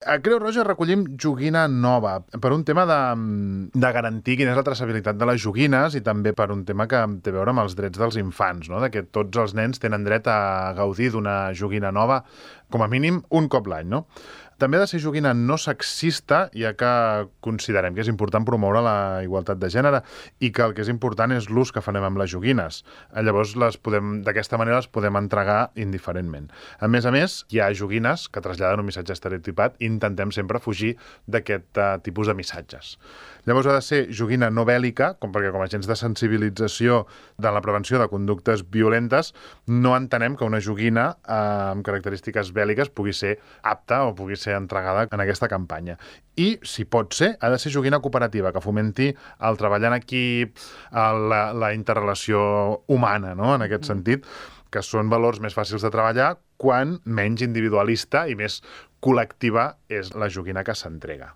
A Creu Roja recollim joguina nova per un tema de garantir quina és la traçabilitat de les joguines i també per un tema que té a veure amb els drets dels infants, no? De que tots els nens tenen dret a gaudir d'una joguina nova, com a mínim un cop l'any, no? També ha de ser joguina no sexista, ja que considerem que és important promoure la igualtat de gènere i que el que és important és l'ús que farem amb les joguines. Llavors, d'aquesta manera les podem entregar indiferentment. A més, hi ha joguines que traslladen un missatge estereotipat i intentem sempre fugir d'aquest tipus de missatges. Llavors ha de ser joguina no bèl·lica, perquè com a agents de sensibilització de la prevenció de conductes violentes no entenem que una joguina amb característiques bèl·liques pugui ser apta o pugui ser entregada en aquesta campanya. I, si pot ser, ha de ser joguina cooperativa, que fomenti el treball en equip, la interrelació humana, no?, en aquest sentit, que són valors més fàcils de treballar quan menys individualista i més col·lectiva és la joguina que s'entrega.